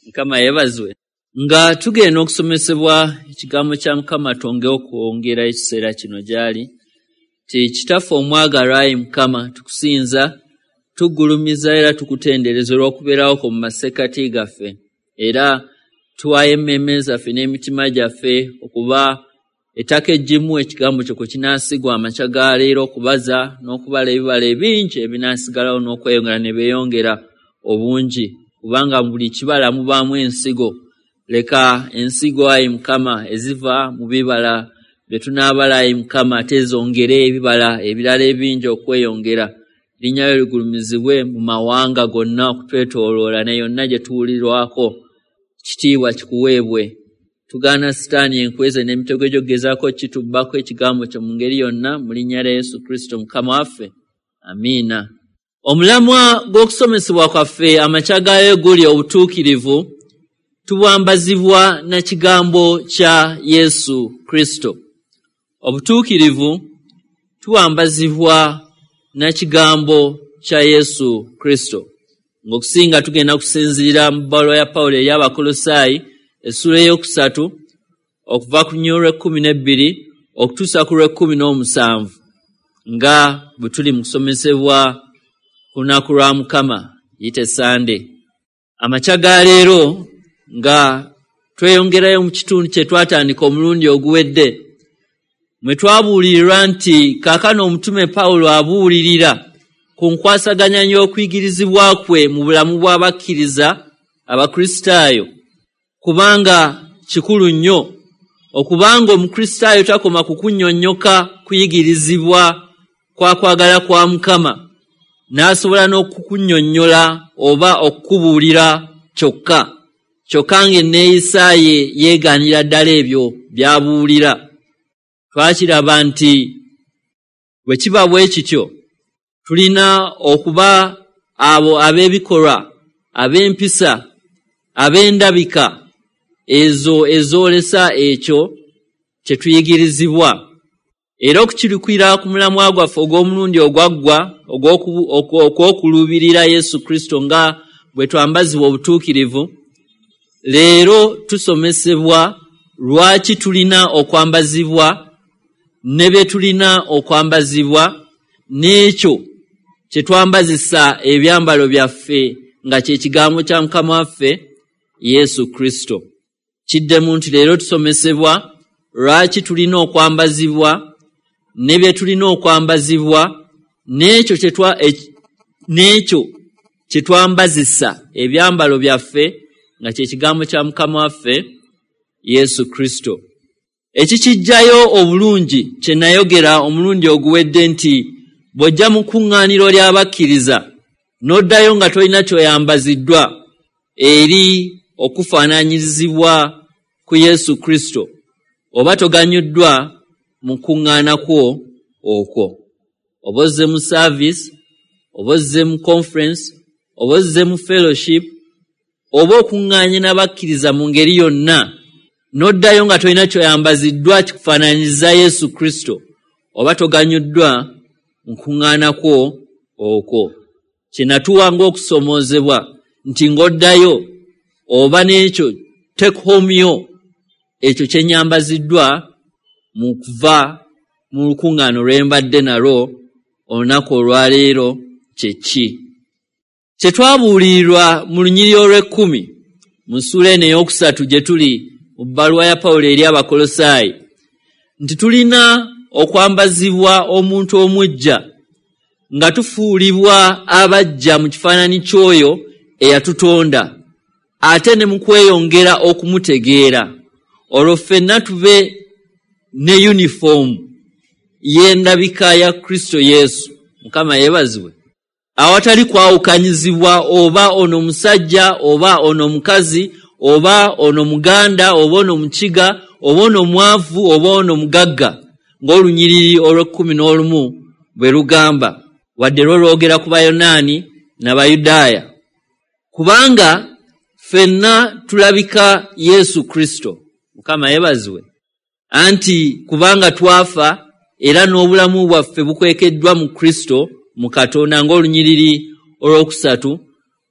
Mukama yeebazibwe. Nga tugenda okusomesebwa ekigambo kya Mukama, twonge okwongera ekiseera kino gy'ali. Ti Kitaffe omwagalwa, ayi Mukama, tukusinza, tugulumiza era tukutendereza olw'okubeerawo kwo mu masekkati gaffe. Era tuwaayo emmeeme zaffe n'emitima gyaffe okuba ettaka eggimu ekigambo kyo kwe kinaasigwa amakya ga leero, okubaza n'okubala ebibala ebingi ebinaasigalawo n'okweyongera ne beeyongera obungi, kubanga mu buli kibala mubaamu ensigo. Leka ensigo, ayi Mukama, eziva mu bibala bye tunaabala, ayi Mukama, ate zongere ebibala ebirala ebingi okweyongera. Linnya lyo ligulumizibwe mu mawanga gonna okutwetooloola ne yonna gye tuwulirwako. Kitiibwa kikuweebwe. Tugaana Sitaani enkweze n'emitego gy'okugezaako kitubbako ekigambo kyo mu ngeri yonna, mu linnya lya Yesu Kristo Mukama waffe. Amiina. Omulamwa gw'okusomesebwa kwaffe amakya gaayo guli obutuukirivu tubwambazibwa na kigambo kya Yesu Kristo. Obutuukirivu tubwambazibwa na kigambo kya Yesu Kristo. Ng'okusinga tugenda kusinziira mu bbaluwa ya Pawulo eri Abakolosaayi essula 3 okuva ku 12 okutuusa ku 17, nga bwe tuli mu kusomesebwa ku lunaku lwa Mukama, yite Sande. Amakya ga leero nga tweyongerayo mu kitundu kye twatandika omulundi oguwedde, mwe twabuulirirwa nti kaakano omutume Pawulo abuulirira ku nkwasaganya y'okuyigirizibwa kwe mu bulamu bw'abakkiriza Abakristaayo, kubanga kikulu nnyo okubanga Omukristaayo takoma ku kunnyonnyoka kuyigirizibwa kwa kwagala kwa Mukama, n'asobola n'okukunnyonnyola oba okukubuulira kyokka, kyokka ng'enneeyisa ye yeegaanira ddala ebyo by'abuulira. Twakiraba nti bwe kiba bwe kityo, tulina okuba abo ab'ebikolwa, ab'empisa, ab'endabika ezo ezoolesa ekyo kye tuyigirizibwa. Era okukirukira ku mulamwa gwaffe ogw'omulundi ogwaggwa ogw'okuluubirira Yesu Kristo nga bwe twambazibwa obutuukirivu, leero tusomesebwa lwaki tulina okwambazibwa ne bye tulina okwambazibwa n'ekyo kye twambazisa ebyambalo byaffe nga kye kigambo kya Mukama waffe Yesu Kristo. Kiddemu nti leero tusomesebwa lwaki tulina okwambazibwa ne bye tulina okwambazibwa n'ekyo kye twambazisa ebyambalo byaffe nga kye kigambo kya Mukama waffe Yesu Kristo. Ekikijjayo obulungi kye nayogera omulundi oguwedde nti bw'ojja mu kuŋŋaaniro ly'abakkiriza n'oddayo nga tolina ky'oyambaziddwa eri okufaananyirizibwa ku Yesu Kristo, oba toganyuddwa mu kuŋŋaana kwo okwo. Oba ozze mu service, oba ozze mu conference, oba ozze mu fellowship, oba okuŋŋaanye n'abakkiriza mu ngeri yonna, n'oddayo nga tolina ky'oyambaziddwa kikufaananyiriza Yesu Kristo, oba toganyuddwa mu kuŋŋaana kwo okwo. Kye natuwa ng'okusomoozebwa nti ng'oddayo oba n'ekyo take home yo, ekyo kye nnyambaziddwa mu kuva mu lukuŋŋaano lwe mbadde nalwo olunaku olwaleero kye ki. Kye twabuulirirwa mu lunyiriri olw'ekkumi mu ssuula eno 3 gye tuli mu bbaluwa ya Pawulo eri Abakolosaayi, nti tulina okwambazibwa omuntu omuggya nga tufuulibwa abaggya mu kifaananyi ky'oyo eyatutonda, ate ne mu kweyongera okumutegeera, olwo ffenna tube ne yunifoomu y'endabika ya Kristo Yesu. Mukama yeebazibwe. Awatali kwawukanyizibwa oba ono musajja oba ono mukazi oba ono muganda oba ono mukiga oba ono mwavu oba ono mugagga, ng'olunyiriri olw'11 bwe lugamba, wadde lwo lwogera ku Bayonaani n'Abayudaaya, kubanga ffenna tulabika Yesu Kristo. Mukama yeebazibwe. Anti kubanga twafa era n'obulamu bwaffe bukwekeddwa mu Kristo mu Katonda, ng'olunyiriri olwokusatu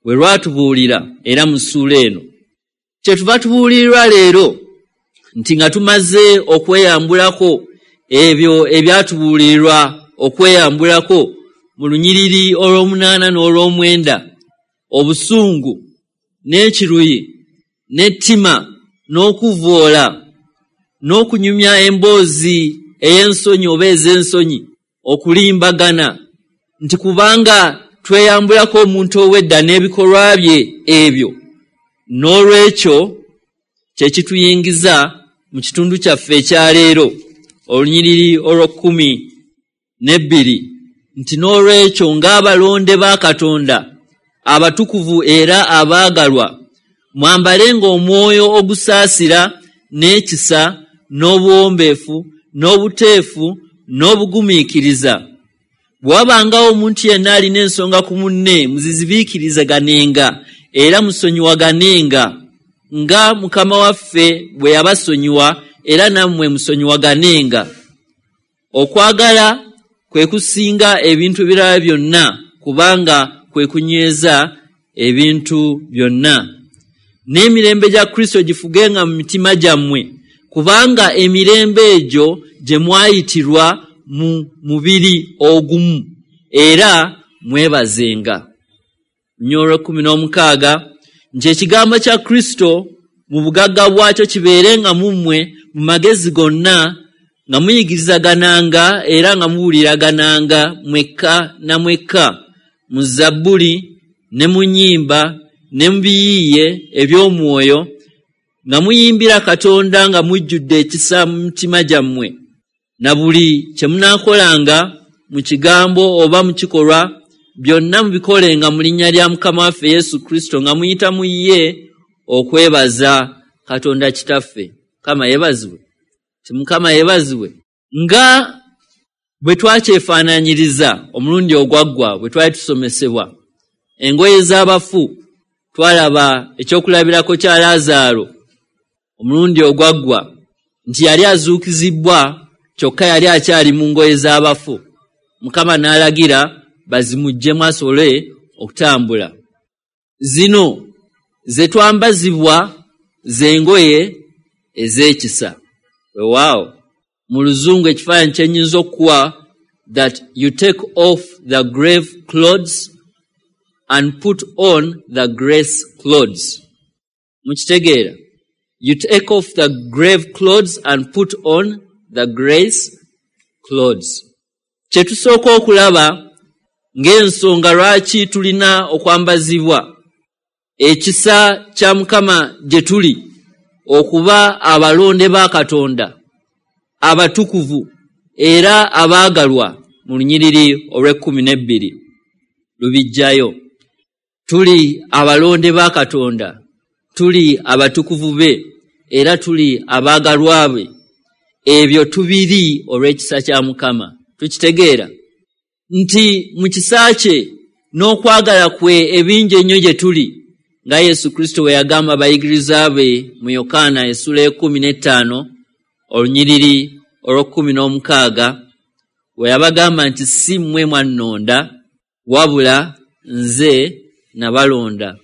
bwe lwatubuulira era mu ssuula eno. Kyetuva tubuulirirwa leero nti nga tumaze okweyambulako ebyo ebyatubuulirirwa okweyambulako mu lunyiriri olw'omunaana n'olw'omwenda, obusungu n'ekiruyi n'ettima n'okuvvoola n'okunyumya emboozi ey'ensonyi oba ez'ensonyi, okulimbagana, nti kubanga tweyambulako omuntu ow'edda n'ebikolwa bye ebyo, n'olwekyo kye kituyingiza mu kitundu kyaffe ekya leero, olunyiriri olw'okkumi n'ebbiri, nti n'olwekyo ng'abalonde ba Katonda abatukuvu era abaagalwa, mwambalenga omwoyo ogusaasira n'ekisa n'obuwombeefu n'obuteefu n'obugumiikiriza. Bwe wabangawo omuntu yenna alina ensonga ku munne, muzizibiikirizaganenga era musonyiwaganenga nga Mukama waffe bwe yabasonyiwa, era nammwe musonyiwaganenga. Okwagala kwe kusinga ebintu ebirala byonna, kubanga kwe kunyweza ebintu byonna. N'emirembe gya Kristo gifugenga mu mitima gyammwe, kubanga emirembe egyo gye mwayitirwa mu mubiri ogumu, era mwebazenga. Olw'ekkumi n'omukaaga nti ekigambo kya Kristo mu bugagga bwakyo kibeerenga mu mmwe mu magezi gonna, nga muyigirizagananga era nga mubuuliragananga mwekka na mwekka mu zabbuli ne mu nnyimba ne mu biyiiye eby'omwoyo, nga muyimbira Katonda nga mujjudde ekisa mu mitima gyammwe. Na buli kye munaakolanga mu kigambo oba mu kikolwa, byonna mubikolenga mu linnya lya Mukama waffe Yesu Kristo, nga muyita mu ye okwebaza Katonda Kitaffe. Mukama yeebazibwe, ti Mukama yeebazibwe. Nga bwe twakyefaanaanyiriza omulundi ogwaggwa bwe twali tusomesebwa engoye z'abafu, twalaba ekyokulabirako kya Laazaalo omulundi ogwaggwa, nti yali azuukizibbwa, kyokka yali akyali mu ngoye z'abafu. Mukama n'alagira bazimuggyemu asobole okutambula. Zino ze twambazibwa z'engoye ez'ekisa. Weewaawo, mu Luzungu ekifaananyi kye nnyinza okukuwa, that you take off the grave clothes and put on the grace clothes. Mukitegeera? You take off the grave clothes and put on the grace clothes. Kye tusooka okulaba ng'ensonga lwaki tulina okwambazibwa ekisa kya Mukama gye tuli okuba abalonde ba Katonda abatukuvu era abaagalwa, mu lunyiriri olw'ekkumi n'ebbiri lubijjayo. Tuli abalonde ba Katonda, tuli abatukuvu be, era tuli abaagalwa be. Ebyo tubiri olw'ekisa kya Mukama. Tukitegeera nti mu kisa kye n'okwagala kwe ebingi ennyo gye tuli, nga Yesu Kristo bwe yagamba abayigiriza be mu Yokaana essula 15 olunyiriri olw'okkumi n'omukaaga, bwe yabagamba nti, "Si mmwe mwannonda, wabula nze nabalonda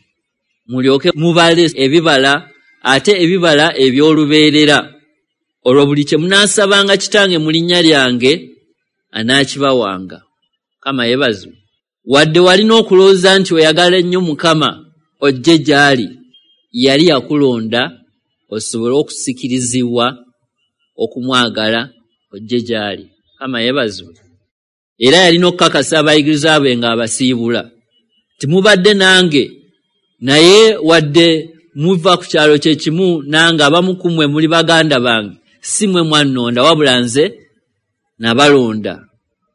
mulyoke mubale ebibala, ate ebibala eby'olubeerera. Olwo buli kye munaasabanga Kitange mu linnya lyange anaakibawanga." Mukama yeebazibwe. Wadde walina okulowooza nti oyagala ennyo Mukama ojje gy'ali, yali yakulonda osobole okusikirizibwa okumwagala ojje gy'ali. Mukama yeebazibwe. Era yalina okukakasa abayigiriza be ng'abasiibula timubadde nange, naye wadde muva ku kyalo kye kimu nange, abamu ku mmwe muli baganda bange, si mmwe mwannonda, wabula nze nabalonda.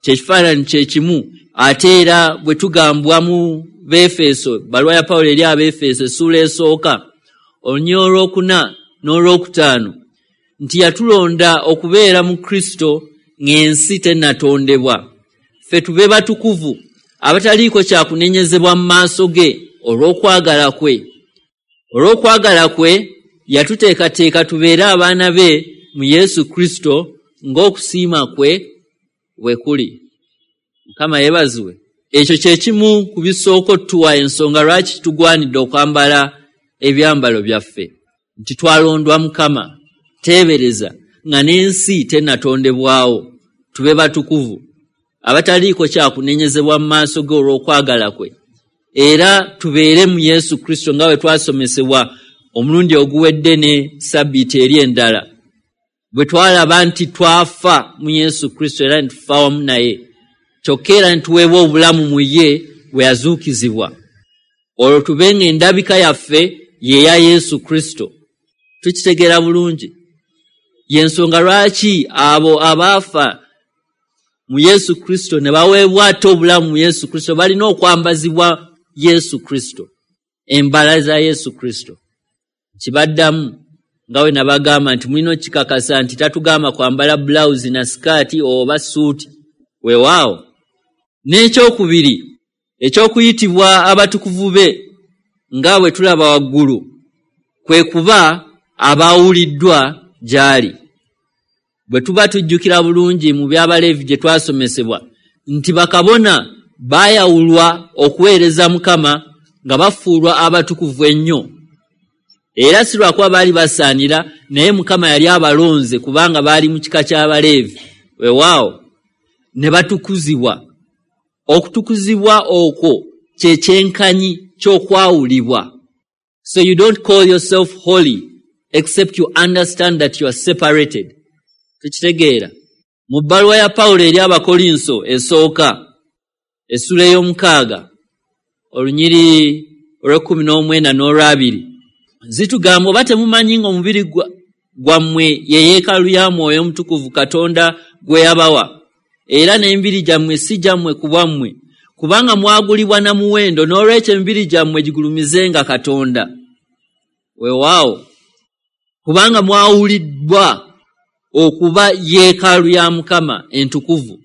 Kyekifaananyi kye kimu ate era bwe tugambwa mu Beefeso, baluwa ya Pawulo eri Abeefeso essuula esooka olunyiriri olwokuna n'olwokutaano, nti yatulonda okubeera mu Kristo ng'ensi tennatondebwa, ffe tube batukuvu abataliiko kyakunenyezebwa mu maaso ge. Olw'okwagala kwe yatuteekateeka tubeere abaana be mu Yesu Kristo, ng'okusiima kwe bwe kuli. Mukama yeebazibwe. Ekyo kye kimu ku bisooka otuwa ensonga lwaki tugwanidde okwambala ebyambalo byaffe. nti twalondwa Mukama, teebereza nga n'ensi tennatondebwawo, tube batukuvu abataliiko kyakunenyezebwa mu maaso ge olw'okwagala kwe, era tubeere mu Yesu Kristo nga bwe twasomesebwa omulundi oguwedde ne sabbiiti eri endala, bwe twalaba nti twafa mu Yesu Kristo era ne tufa wamu naye, kyokka era ne tuweebwa obulamu mu ye bwe yazuukizibwa, olwo tube ng'endabika yaffe ye ya Yesu Kristo. Tukitegeera bulungi. Y'ensonga lwaki abo abaafa mu Yesu Kristo ne baweebwa ate obulamu mu Yesu Kristo balina okwambazibwa Yesu Kristo, embala za Yesu Kristo. Kibaddamu nga we nabagamba nti mulina okikakasa nti tatugamba kwambala bulawuzi na sikaati oba suuti. Weewaawo. N'ekyokubiri eky'okuyitibwa abatukuvu be nga bwe tulaba waggulu kwe kuba abaawuliddwa gy'ali. Bwe tuba tujjukira bulungi mu by'Abaleevi gye twasomesebwa nti bakabona baayawulwa okuweereza Mukama nga bafuulwa abatukuvu ennyo, era si lwakuba baali basaanira, naye Mukama yali abalonze kubanga baali mu kika ky'Abaleevi. Weewaawo, ne batukuzibwa. Okutukuzibwa okwo kye kyenkanyi ky'okwawulibwa. So you don't call yourself holy except you understand that you are separated. Tukitegeera. Mu bbaluwa ya Pawulo eri Abakolinso esooka, essula ey'omukaaga, olunyiri olw'ekumi n'omwenda n'olwabiri, zitugamba, oba temumanyi ng'omubiri gwammwe ye yeekaalu ya Mwoyo Omutukuvu Katonda gwe yabawa, era n'emibiri gyammwe si gyammwe ku bwammwe, kubanga mwagulibwa na muwendo, n'olwekyo emibiri gyammwe gigulumizenga Katonda. Weewaawo, kubanga mwawuliddwa okuba yeekaalu ya Mukama entukuvu.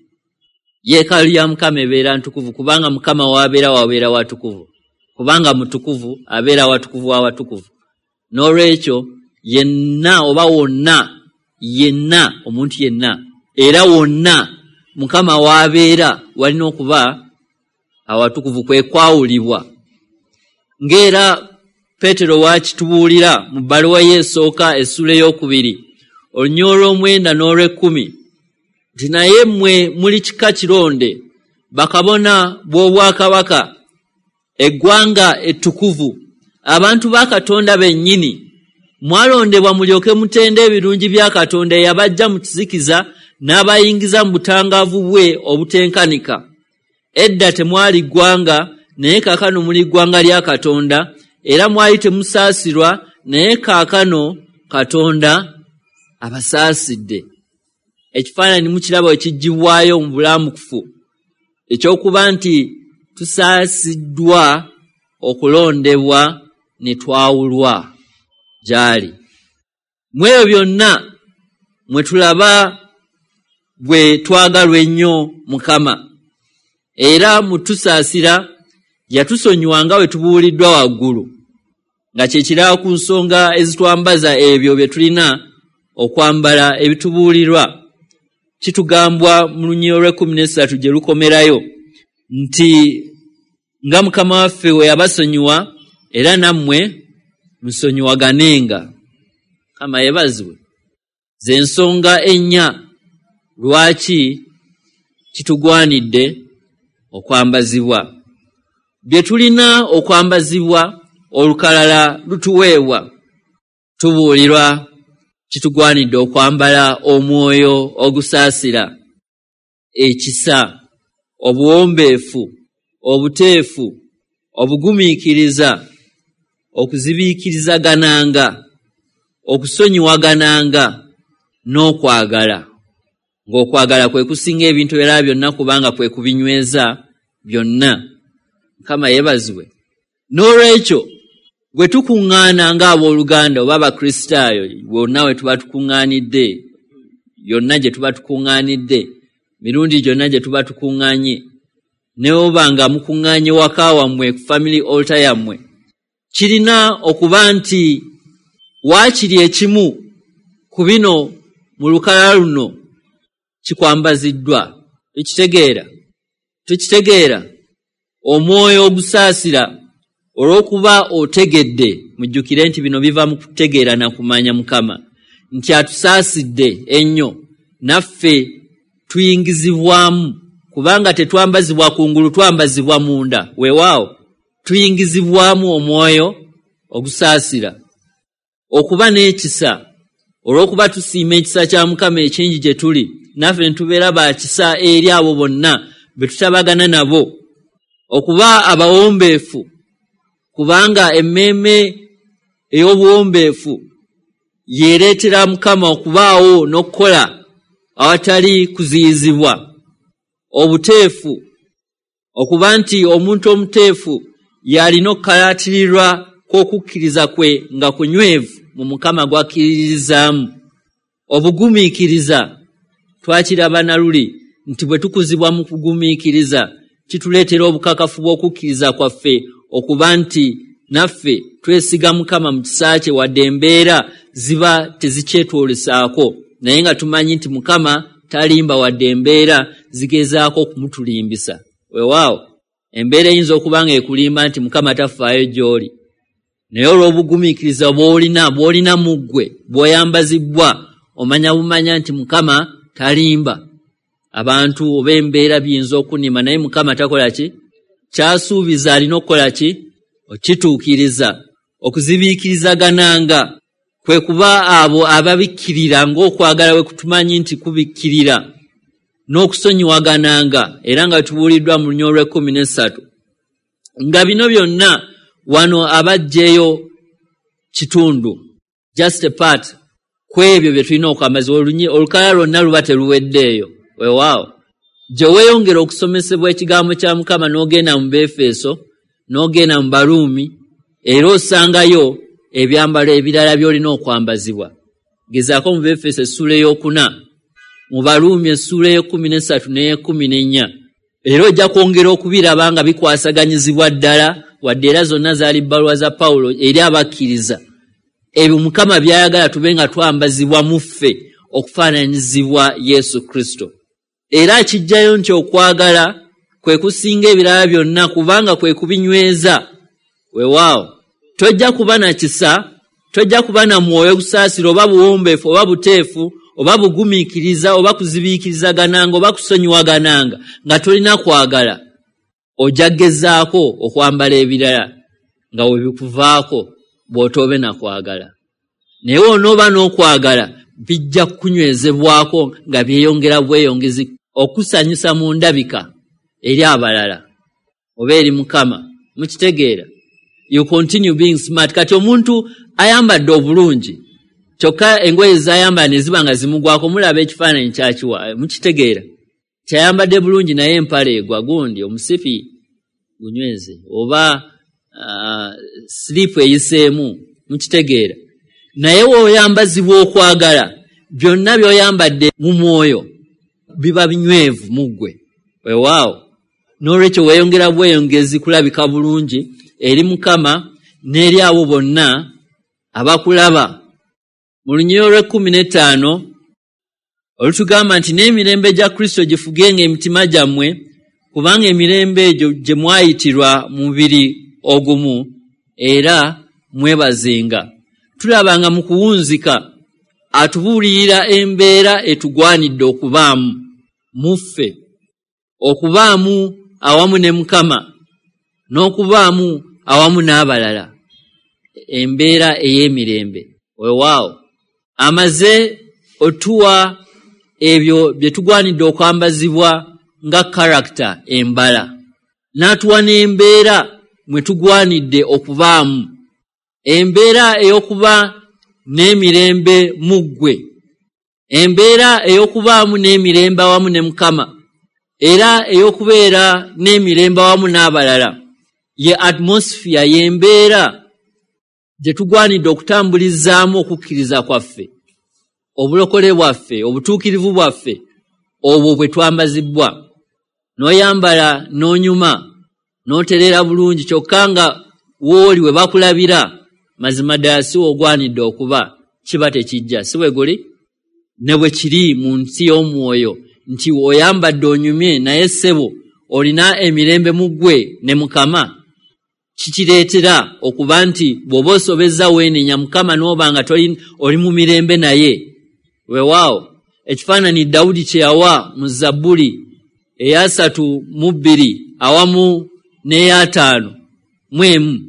Yeekaalu ya Mukama ebeera ntukuvu kubanga Mukama w'abeera wabeera watukuvu, kubanga mutukuvu abeera watukuvu w'awatukuvu. N'olwekyo yenna oba wonna, yenna omuntu yenna era wonna Mukama w'abeera walina okuba awatukuvu, kwe kwawulibwa. Ng'era Peetero waakitubuulira mu bbaluwa ye esooka essula ey'okubiri olunyiriri olw'omwenda n'olw'ekkumi nti naye mmwe muli kika kironde, bakabona b'obwakabaka, eggwanga ettukuvu, abantu ba Katonda bennyini, mwalondebwa mulyoke mutende ebirungi bya Katonda eyabaggya mu kizikiza n'abayingiza mu butangaavu bwe obutenkanika. Edda temwali ggwanga, naye kaakano muli ggwanga lya Katonda, era mwali temusaasirwa, naye kaakano Katonda abasaasidde. Ekifaananyi mukiraba ekiggyibwayo mu bulamukufu ekyokuba nti tusaasiddwa okulondebwa ne twawulwa gy'ali. Mu ebyo byonna mwe tulaba bwe twagalwa ennyo Mukama, era mu tusaasira yatusonyiwa nga bwe tubuuliddwa waggulu, nga kye kirala ku nsonga ezitwambaza ebyo bye tulina okwambala ebitubuulirwa. Kitugambwa mu lunyiriri olw'ekumi n'esatu gye lukomerayo nti nga Mukama waffe we yabasonyiwa, era nammwe musonyiwaganenga. Mukama yeebazibwe. Ze nsonga ennya lwaki kitugwanidde okwambazibwa bye tulina okwambazibwa. Olukalala lutuweebwa, tubuulirwa kitugwanidde okwambala omwoyo ogusaasira, ekisa, obuwombeefu, obuteefu, obugumiikiriza, okuzibiikirizagananga, okusonyiwagananga n'okwagala, ng'okwagala kwe kusinga ebintu ebirala byonna kubanga kwe kubinyweza byonna. Mukama yeebazibwe. N'olwekyo bwe tukuŋŋaana ng'abooluganda oba Abakristaayo, bonna we tuba tukuŋŋaanidde, yonna gye tuba tukuŋŋaanidde, mirundi gyonna gye tuba tukuŋŋaanye, ne oba nga mukuŋŋaanye waka wammwe ku family altar yammwe, kirina okuba nti waakiri ekimu ku bino mu lukalala luno kikwambaziddwa. Tukitegeera? Tukitegeera? Omwoyo ogusaasira. Olw'okuba otegedde, mujjukire nti bino biva mu kutegeera na kumanya Mukama, nti atusaasidde ennyo, naffe tuyingizibwamu, kubanga tetwambazibwa kungulu, twambazibwa munda. Weewaawo tuyingizibwamu omwoyo ogusaasira. Okuba n'ekisa, olw'okuba tusiima ekisa kya Mukama ekingi gye tuli, naffe ne tubeera ba kisa eri abo bonna be tutabagana nabo. Okuba abawombeefu, kubanga emmeeme ey'obuwombeefu yeereetera Mukama okubaawo n'okukola awatali kuziyizibwa. Obuteefu, okuba nti omuntu omuteefu y'alina okukalaatirirwa kw'okukkiriza kwe nga kunywevu mu Mukama gw'akkiririzaamu. Obugumiikiriza, twakiraba na luli nti bwe tukuzibwa mu kugumiikiriza kituleetera obukakafu bw'okukkiriza kwaffe okuba nti naffe twesiga Mukama mu kisa kye, wadde embeera ziba tezikyetwolesaako, naye nga tumanyi nti Mukama talimba wadde embeera zigezaako okumutulimbisa. Weewaawo embeera eyinza okuba nga ekulimba nti Mukama tafaayo gy'oli, naye olw'obugumiikiriza bw'olina mu ggwe, bw'oyambazibwa, omanya bumanya nti Mukama talimba. Abantu oba embeera biyinza okunima, naye Mukama takola ki? Kyasuubiza alina okukola ki? Okituukiriza. Okuzibiikirizagananga kwe kuba abo ababikkirira ng'okwagala bwe kutumanyi nti kubikkirira, n'okusonyiwagananga, era nga tubuuliddwa mu lunyiriri olw'ekkumi n'essatu. Nga bino byonna wano abaggyeyo kitundu, just a part, ku ebyo bye tulina okwambazibwa. Olukalala lwonna luba teruweddeeyo. Weewaawo gye weeyongera okusomesebwa ekigambo kya Mukama n'ogenda mu Beefeso, n'ogenda mu Baruumi, era osangayo ebyambalo ebirala by'olina okwambazibwa. Gezaako mu Beefeso essuula ey'okuna, mu Baruumi essuula ey'ekkumi n'essatu n'ey'ekkumi n'ennya, era ojja kwongera okubiraba nga bikwasaganyizibwa ddala, wadde era zonna zaali bbaluwa za Pawulo eri abakkiriza. Ebyo Mukama by'ayagala tube nga twambazibwa mu ffe okufaananyizibwa Yesu Kristo. Era akijjayo nti okwagala kwe kusinga ebirala byonna, kubanga kwe kubinyweza. Weewaawo tojja kuba na kisa, tojja kuba na mwoyo gusaasira oba buwombeefu oba buteefu oba bugumiikiriza oba kuzibiikirizagananga oba kusonyiwagananga nga tolina kwagala. Ojja kugezaako okwambala ebirala nga we bikuvaako bw'otoobe na kwagala. Naye onooba n'okwagala bijja kukunywezebwako nga byeyongera bweyongezi okusanyusa mu ndabika eri abalala oba eri Mukama. Mukitegeera? You continue being smart. Kati omuntu ayambadde obulungi kyokka engoye z'ayambala ne ziba nga zimugwako, mulaba ekifaananyi kyakiwa. Mukitegeera? Kyayambadde bulungi naye empale egwa, gundi omusipi gunyweze oba silipu eyiseemu. Mukitegeera? Naye w'oyambazibwa okwagala, byonna by'oyambadde mu mwoyo biba binywevu mu ggwe. Weewaawo n'olwekyo weeyongera bweyongezi kulabika bulungi eri Mukama n'eri abo bonna abakulaba. Mu lunyiriri olw'ekkumi n'ettaano olutugamba nti n'emirembe gya Kristo gifugenga emitima gyammwe, kubanga emirembe egyo gye mwayitirwa mu mubiri ogumu, era mwebazenga. Tulaba nga mu kuwunzika atubuulirira embeera etugwanidde okubaamu mu ffe, okubaamu awamu ne Mukama n'okubaamu awamu n'abalala, embeera ey'emirembe. Weewaawo amaze otuwa ebyo bye tugwanidde okwambazibwa nga karakita embala, n'atuwa n'embeera mwe tugwanidde okubaamu, embeera ey'okuba n'emirembe mu ggwe, embeera ey'okubaamu n'emirembe awamu ne Mukama, era ey'okubeera n'emirembe awamu n'abalala. Ye atmosphere, y'embeera gye tugwanidde okutambulizaamu okukkiriza kwaffe, obulokole bwaffe, obutuukirivu bwaffe, obwo bwe twambazibwa. N'oyambala n'onyuma n'otereera bulungi, kyokka nga w'oli we bakulabira mazima ddala si w'ogwanidde okuba, kiba tekijja. Si bwe guli ne bwe kiri mu nsi y'omwoyo nti oyambadde onyumye, naye ssebo olina emirembe mu ggwe ne Mukama. Kikireetera okuba nti bw'oba osobezza weenenya Mukama n'oba nga oli mu mirembe naye. Weewaawo ekifaananyi Dawudi kye yawa mu Zabbuli eya 32 awamu n'eya 51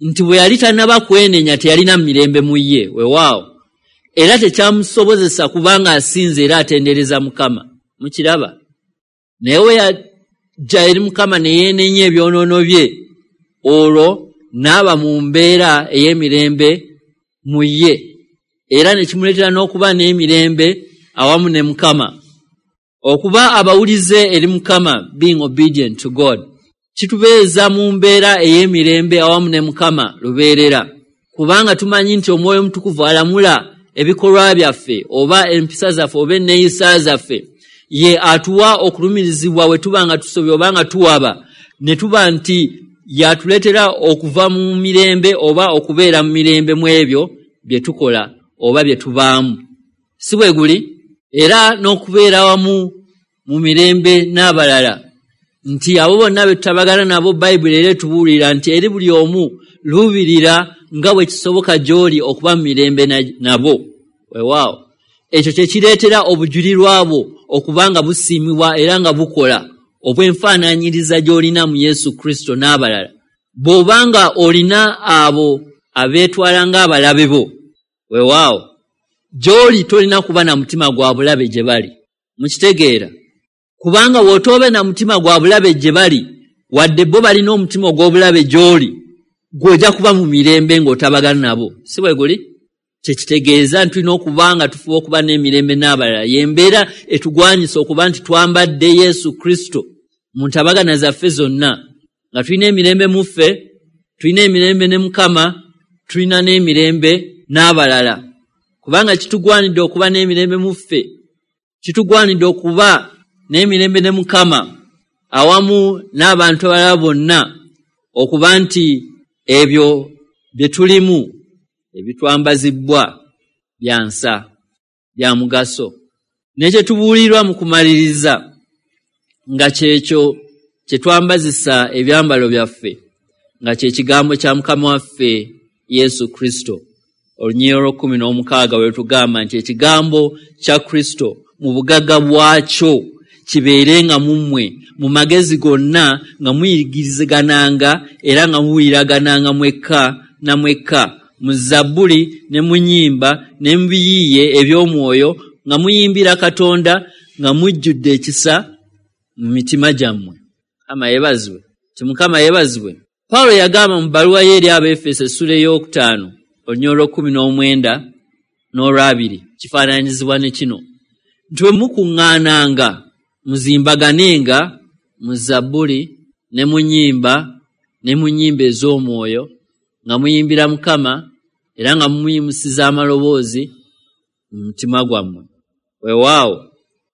nti bwe yali tannaba kwenenya teyalina mirembe mu ye. Weewaawo era tekyamusobozesa kubanga asinze era atendereza Mukama. Mukiraba? Naye we yajja eri Mukama ne yeenenya ebyonoono bye, olwo n'aba mu mbeera ey'emirembe mu ye, era ne kimuleetera n'okuba n'emirembe awamu ne Mukama. Okuba abawulize eri Mukama, being obedient to God, kitubeeza mu mbeera ey'emirembe awamu ne Mukama lubeerera, kubanga tumanyi nti Omwoyo Omutukuvu alamula ebikolwa byaffe oba empisa zaffe oba enneeyisa zaffe. Ye atuwa okulumirizibwa we tuba nga tusobye oba nga tuwaba, ne tuba nti yatuleetera okuva mu mirembe oba okubeera mu mirembe mu ebyo bye tukola oba bye tubaamu. Si bwe guli? Era n'okubeera wamu mu mirembe n'abalala, nti abo bonna be tutabagana nabo, Bayibuli era etubuulira nti eri buli omu luubirira nga bwe kisoboka gy'oli okuba mu mirembe nabo. Weewaawo ekyo kye kireetera obujulirwa bwo okuba nga busiimibwa era nga bukola obw'enfaanaanyiriza gy'olina mu Yesu Kristo n'abalala. Bw'oba nga olina abo abeetwala ng'abalabe bo, weewaawo gy'oli tolina kuba na mutima gwa bulabe gye bali. Mukitegeera? Kubanga bw'otoobe na mutima gwa bulabe gye bali, wadde bo balina omutima ogw'obulabe gy'oli, gw'ojja kuba mu mirembe ng'otabagana nabo. Si bwe guli? Kyekitegeeza nti tulina okuba nga tufuba okuba n'emirembe n'abalala. Y'embeera etugwanyisa okuba nti twambadde Yesu Kristo mu ntabagana zaffe zonna, nga tulina emirembe mu ffe, tulina emirembe ne Mukama, tulina n'emirembe n'abalala. Kubanga kitugwanidde okuba n'emirembe mu ffe, kitugwanidde okuba n'emirembe ne Mukama awamu n'abantu abalala bonna, okuba nti ebyo bye tulimu ebitwambazibbwa bya nsa, bya mugaso. Ne kye tubuulirwa mu kumaliriza nga kyekyo kye twambazisa ebyambalo byaffe, nga kye kigambo kya Mukama waffe Yesu Kristo. Olunyiriri olw'okkumi n'omukaaga bwe tugamba nti ekigambo kya Kristo mu bugagga bwakyo kibeerenga mu mmwe mu magezi gonna, nga muyigirizagananga era nga mubuuliragananga mwekka na mwekka mu zabbuli ne mu nnyimba ne mu biyiiye eby'omwoyo, nga muyimbira Katonda nga mujjudde ekisa mu mitima gyammwe. Mukama yeebazibwe. Ti Mukama yeebazibwe. Pawulo yagamba mu bbaluwa ye eri Abaefeso essula ey'okutaano olunyiriri olw'okkumi n'omwenda n'olwabiri, kifaananyizibwa ne kino nti bwe mukuŋŋaananga muzimbaganenga mu zabbuli ne mu nnyimba ne mu nnyimba ez'omwoyo, nga muyimbira Mukama era nga mumuyimusiza amaloboozi mu mutima gwammwe. Weewaawo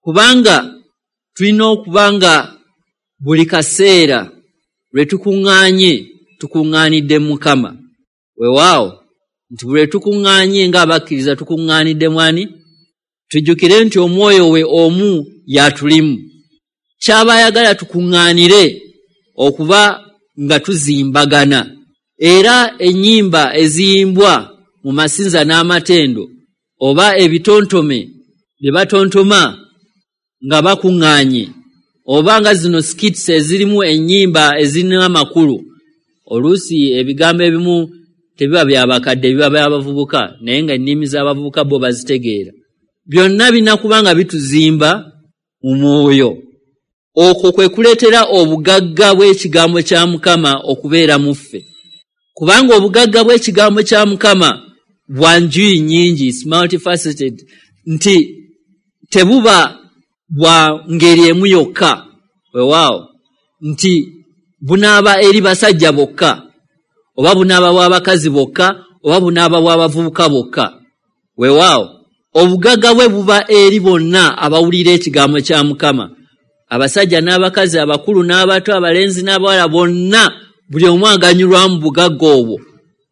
kubanga tulina okuba nga buli kaseera lwe tukuŋŋaanye tukuŋŋaanidde Mukama. Weewaawo nti buli lwe tukuŋŋaanye ng'abakkiriza tukuŋŋaanidde mwani? Tujjukire nti omwoyo we omu y'atulimu. Kyaba ayagala tukuŋŋaanire okuba nga tuzimbagana. Era ennyimba eziyimbwa mu masinza n'amatendo oba ebitontome bye batontoma nga bakuŋŋaanye, oba nga zino skits ezirimu ennyimba ezirina amakulu, oluusi ebigambo ebimu tebiba bya bakadde, biba by'abavubuka, naye nga ennimi z'abavubuka bo bazitegeera. Byonna birina kuba nga bituzimba mu mwoyo. Okwo kwe kuleetera obugagga bw'ekigambo kya Mukama okubeera mu ffe, kubanga obugagga bw'ekigambo kya Mukama bwa njuyi nnyingi, multifaceted, nti tebuba bwa ngeri emu yokka. Weewaawo nti bunaaba eri basajja bokka, oba bunaaba bw'abakazi bokka, oba bunaaba bw'abavubuka bokka. Weewaawo obugagga bwe buba eri bonna abawulira ekigambo kya Mukama, abasajja n'abakazi, abakulu n'abato, abalenzi n'abawala, bonna buli omu aganyulwa mu bugagga obwo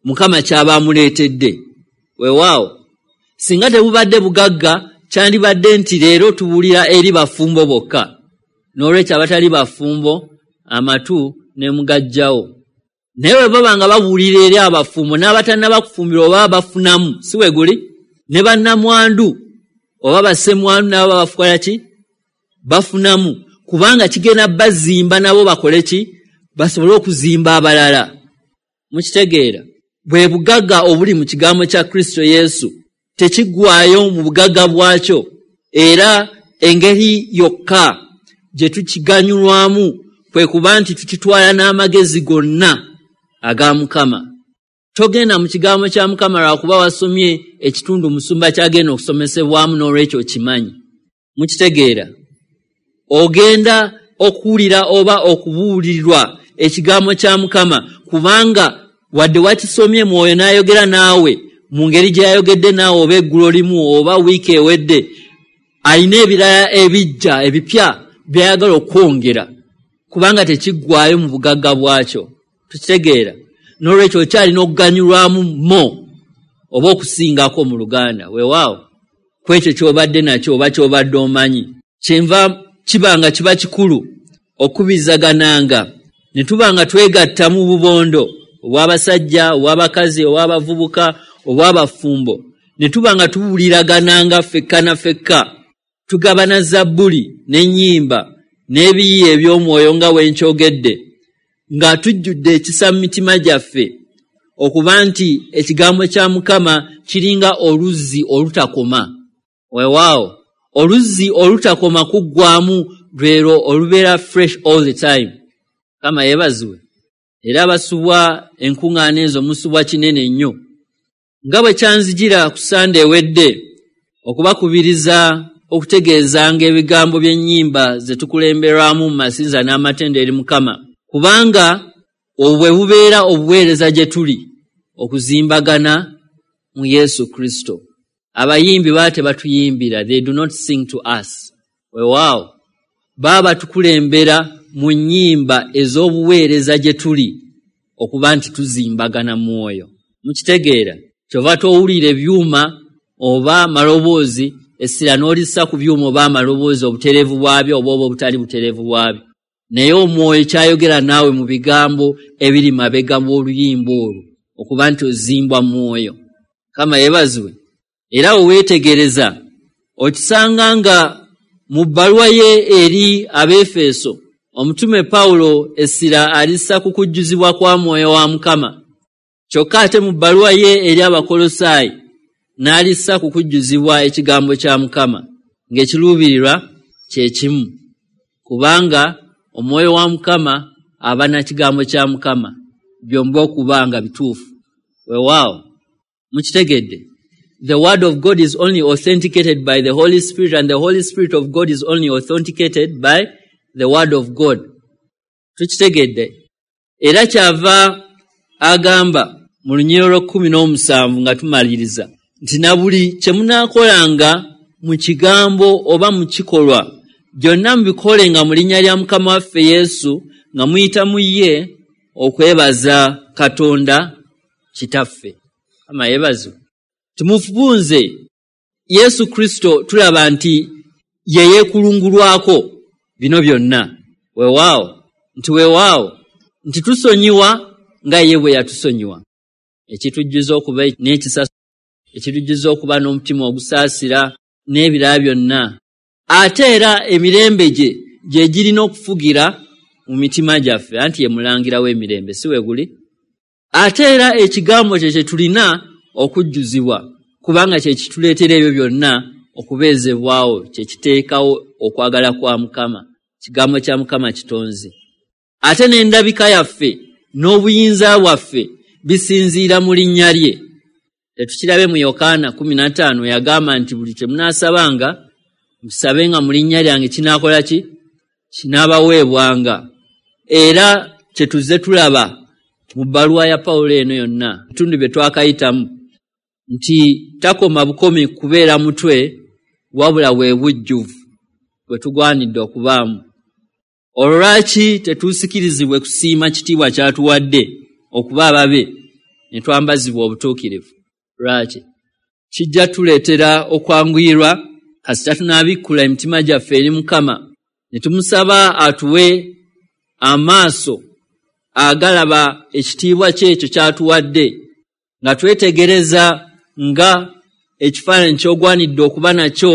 Mukama ky'aba amuleetedde. Weewaawo singa tebubadde bugagga, kyandibadde nti leero tubuulira eri bafumbo bokka, n'olwekyo abatali bafumbo amatu ne mugajjawo. Naye bwe baba nga babuulira eri abafumbo n'abatannaba kufumbirwa oba bafunamu, si we guli? Ne bannamwandu oba bassemwandu nabo bafukola ki? Bafunamu, kubanga kigenda bazimba nabo bakole ki? Basobole okuzimba abalala. Mukitegeera? Bwe bugagga obuli mu kigambo kya Kristo Yesu, tekiggwaayo mu bugagga bwakyo, era engeri yokka gye tukiganyulwamu kwe kuba nti tukitwala n'amagezi gonna aga Mukama. Togenda mu kigambo kya Mukama lwakuba wasomye ekitundu musumba ky'agenda okusomesebwamu n'olwekyo okimanyi. Mukitegeera? Ogenda okuwulira oba okubuulirwa ekigambo kya Mukama kubanga wadde wakisomye Mwoyo n'ayogera naawe mu ngeri gye yayogedde naawe oba eggulo limu oba wiiki ewedde, alina ebirala ebijja ebipya by'ayagala okwongera kubanga tekiggwaayo mu bugagga bwakyo. Tukitegeera? N'olwekyo okyalina okuganyulwamu mo oba okusingako mu Luganda, weewaawo, ku ekyo ky'obadde nakyo oba ky'obadde omanyi. Kyenva kiba nga kiba kikulu okubizagananga ne tuba nga twegatta mu bubondo obw'abasajja, obw'abakazi, obw'abavubuka, obw'abafumbo, ne tuba nga tubuuliragananga ffekka na ffekka, tugabana zabbuli n'ennyimba n'ebiyiiye eby'omwoyo nga bwe nkyogedde, nga tujjudde ekisa mu mitima gyaffe okuba nti ekigambo kya Mukama kiringa oluzzi olutakoma. Weewaawo, oluzzi olutakoma kuggwaamu lwero olubeera fresh all the time. Mukama yeebazibwe. Era abasubwa enkuŋŋaana ezo musubwa kinene nnyo. Nga bwe kyanzijira ku Sande ewedde okubakubiriza okutegeezanga ebigambo by'ennyimba ze tukulemberwamu mu masinza n'amatendo eri Mukama, kubanga obwo bwe bubeera obuweereza gye tuli okuzimbagana mu Yesu Kristo. Abayimbi baba tebatuyimbira, they do not sing to us. Weewaawo, baba batukulembera mu nnyimba ez'obuweereza gye tuli okuba nti tuzimbagana mwoyo. Mukitegeera? Kyova towulira ebyuma oba amaloboozi, essira n'olissa ku byuma oba amaloboozi, obutereevu bwabyo oba obutali butereevu bwabyo. Naye omwoyo kyayogera naawe mu bigambo ebiri mabega w'oluyimba olwo okuba nti ozimbwa mwoyo. Mukama yeebazibwe. Era we weetegereza okisanga nga mu bbaluwa ye eri Abeefeso, omutume Pawulo essira alissa ku kujjuzibwa kwa mwoyo wa Mukama. Kyokka ate mu bbaluwa ye eri Abakolosaayi n'alissa ku kujjuzibwa ekigambo kya Mukama, ng'ekiruubirirwa kye kimu, kubanga omwoyo wa Mukama aba na kigambo kya Mukama, byombi okuba nga bituufu. Weewaawo, mukitegedde? The word of God is only authenticated by the Holy Spirit, and the Holy Spirit of God is only authenticated by the word of God. Tukitegedde? Era kyava agamba mu lunyiriri olw'ekkumi n'omusanvu nga tumaliriza nti na buli kye munaakolanga mu kigambo oba mu kikolwa, byonna mubikolenga mu linnya lya Mukama waffe Yesu, nga muyita mu ye okwebaza Katonda Kitaffe. Mukama yeebazibwe. Tumufunze Yesu Kristo, tulaba nti ye yeekulungulwako bino byonna. Weewaawo, nti weewaawo nti tusonyiwa nga ye bwe yatusonyiwa. Ekitujjuza okuba n'ekisa, ekitujjuza okuba n'omutima ogusaasira n'ebirala byonna. Ate era emirembe gye gye girina okufugira mu mitima gyaffe, anti ye mulangira w'emirembe, si we guli? Ate era ekigambo kye kye tulina okujjuzibwa, kubanga kye kituleetera ebyo byonna okubeezebwawo, kye kiteekawo okwagala kwa Mukama. Kigambo kya Mukama kitonzi. Ate n'endabika yaffe n'obuyinza bwaffe bisinziira mu linnya lye. Tetukirabe mu Yokaana 15 yagamba nti buli kye munaasabanga musabenga mu linnya lyange kinaakola ki? Kinaabaweebwanga. Era kye tuzze tulaba mu bbaluwa ya Pawulo eno yonna, ebitundu bye twakayitamu, nti takoma bukomi kubeera mutwe, wabula bwe bujjuvu bwe tugwanidde okubaamu. Olwo lwaki tetuusikirizibwe kusiima kitiibwa ky'atuwadde okuba ababe ne twambazibwa obutuukirivu? Lwaki? Kijja tuleetera okwanguyirwa kasita tunaabikkula emitima gyaffe eri Mukama ne tumusaba atuwe amaaso agalaba ekitiibwa kye ekyo ky'atuwadde, nga twetegereza nga ekifaananyi ky'ogwanidde okuba nakyo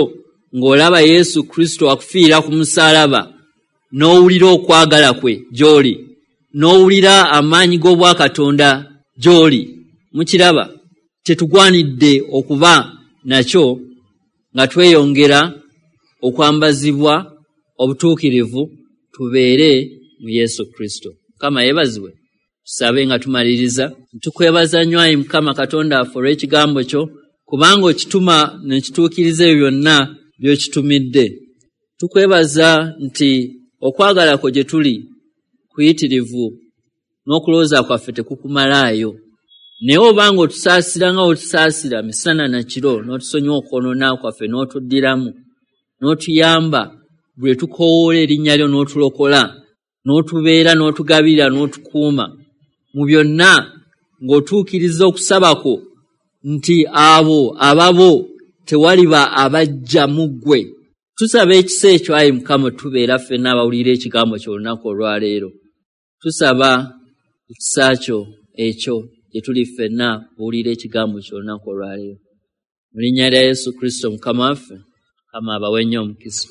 ng'olaba Yesu Kristo akufiira ku musaalaba, n'owulira okwagala kwe gy'oli, n'owulira amaanyi g'obwakatonda gy'oli. Mukiraba, tetugwanidde okuba nakyo nga tweyongera okwambazibwa obutuukirivu tubeere mu Yesu Kristo. Mukama yeebazibwe. Tusabe nga tumaliriza. Tukwebaza nnyo ayi Mukama Katonda waffe olw'ekigambo kyo, kubanga okituma ne kituukiriza ebyo byonna by'okitumidde. Tukwebaza nti okwagala kwo gye tuli kuyitirivu n'okulowooza kwaffe tekukumalaayo. Naye obanga otusaasira nga otusaasira misana na kiro, n'otusonyiwa okwonoona kwaffe, n'otuddiramu, n'otuyamba bwe tukoowoola erinnya lyo, n'otulokola, n'otubeera, n'otugabirira, n'otukuuma mu byonna, ng'otuukiriza okusaba kwo nti abo ababo tewaliba abajja mu ggwe. Tusaba ekisa ekyo ayi Mukama, tubeera ffenna abawulira ekigambo kyo olunaku olwaleero. Tusaba ekisa kyo ekyo gye tuli ffenna buwulira ekigambo kyo olunaku olwaleero. Mu linnya lya Yesu Kristo Mukama waffe, Mukama abawe nnyo omukisa.